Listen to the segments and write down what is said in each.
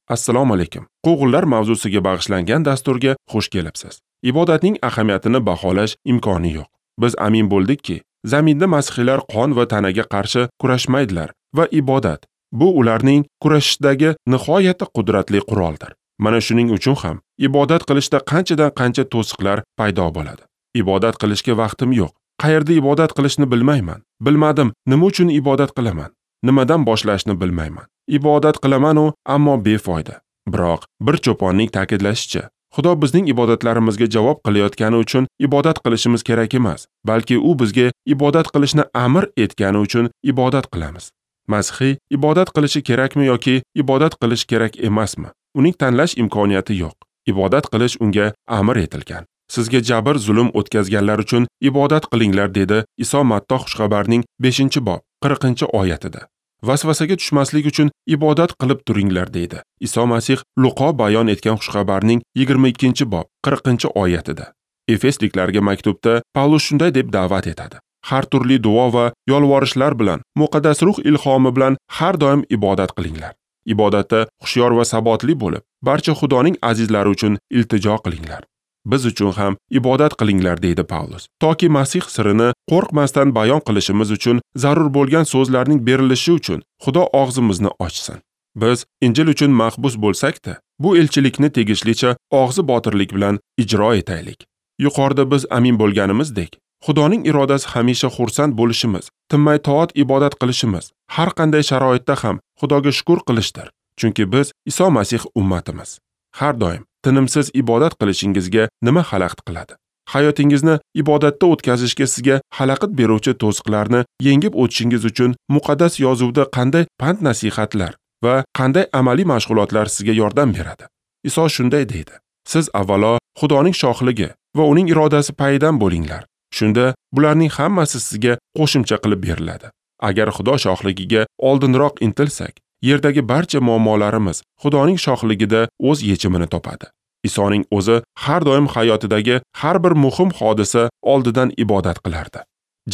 Assalomu alaykum. Quvg'inlar mavzusiga bag'ishlangan dasturga xush kelibsiz. Ibodatning ahamiyatini baholash imkoni yo'q. Biz amin bo'ldikki, zaminda masihiylar qon va tanaga qarshi kurashmaydilar va ibodat bu ularning kurashishdagi nihoyatda qudratli quroldir. Mana shuning uchun ham ibodat qilishda qanchadan qancha to'siqlar paydo bo'ladi. Ibodat qilishga vaqtim yo'q. Qayerda ibodat qilishni bilmayman. Bilmadim, nima uchun ibodat qilaman? Nimadan boshlashni bilmayman. Ibodat qilaman-u, ammo befoyda. Biroq bir cho'ponning ta'kidlashicha, Xudo bizning ibodatlarimizga javob qilayotgani uchun ibodat qilishimiz kerak emas, balki u bizga ibodat qilishni amr etgani uchun ibodat qilamiz. Masihiy ibodat qilishi kerakmi yoki ibodat qilish kerak emasmi? Uning tanlash imkoniyati yo'q. Ibodat qilish unga amr etilgan. Sizga jabr zulm o'tkazganlar uchun ibodat qilinglar, dedi Iso Matto xushxabarning 5-bob 40-oyatida. Vasvasaga tushmaslik uchun ibodat qilib turinglar, deydi Iso Masih Luqo bayon etgan xushxabarning 22-bob 40-oyatida. Efesliklarga maktubda Pavlus shunday deb da'vat etadi: Har turli duo va yolvorishlar bilan, muqaddas ruh ilhomi bilan har doim ibodat qilinglar. Ibodatda hushyor va sabotli bo'lib, barcha Xudoning azizlari uchun iltijo qilinglar. Biz uchun ham ibodat qilinglar, deydi Pavlus. Toki Masih sirini qo'rqmasdan bayon qilishimiz uchun zarur bo'lgan so'zlarning berilishi uchun Xudo og'zimizni ochsin. Biz Injil uchun mahbus bo'lsak-da, bu elchilikni tegishlicha og'zi botirlik bilan ijro etaylik. Yuqorida biz amin bo'lganimizdek, Xudoning irodasi hamisha xursand bo'lishimiz, tinmay toat ibodat qilishimiz, har qanday sharoitda ham Xudoga shukr qilishdir. Chunki biz Iso Masih ummatimiz. Har doim tinimsiz ibodat qilishingizga nima xalaqit qiladi? Hayotingizni ibodatda o'tkazishga sizga xalaqit beruvchi to'siqlarni yengib o'tishingiz uchun muqaddas yozuvda qanday pand-nasihatlar va qanday amaliy mashg'ulotlar sizga yordam beradi? Iso shunday deydi: Siz avvalo Xudoning shohligi va uning irodasi payidan bo'linglar. Shunda bularning hammasi sizga qo'shimcha qilib beriladi. Agar Xudo shohligiga oldinroq intilsak, yerdagi barcha muammolarimiz Xudoning shohligida o'z yechimini topadi. Isoning o'zi har doim hayotidagi har bir muhim hodisa oldidan ibodat qilardi.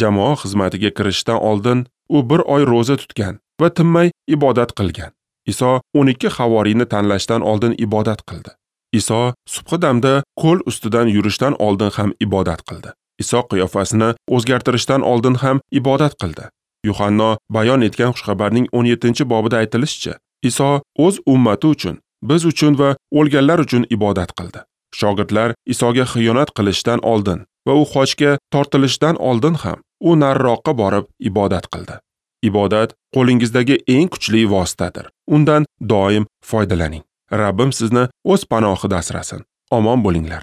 Jamoa xizmatiga kirishdan oldin u bir oy ro'za tutgan va tinmay ibodat qilgan. Iso 12 havoriyni tanlashdan oldin ibodat qildi. Iso subhi damda ko'l ustidan yurishdan oldin ham ibodat qildi. Iso qiyofasini o'zgartirishdan oldin ham ibodat qildi. Yuhanno bayon etgan xushxabarning 17-bobida aytilishicha, Iso o'z ummati uchun, biz uchun va o'lganlar uchun ibodat qildi. Shogirdlar Isoga xiyonat qilishdan oldin va u xochga tortilishdan oldin ham u nariroqqa borib ibodat qildi. Ibodat qo'lingizdagi eng kuchli vositadir. Undan doim foydalaning. Rabbim sizni o'z panohida asrasin. Omon bo'linglar.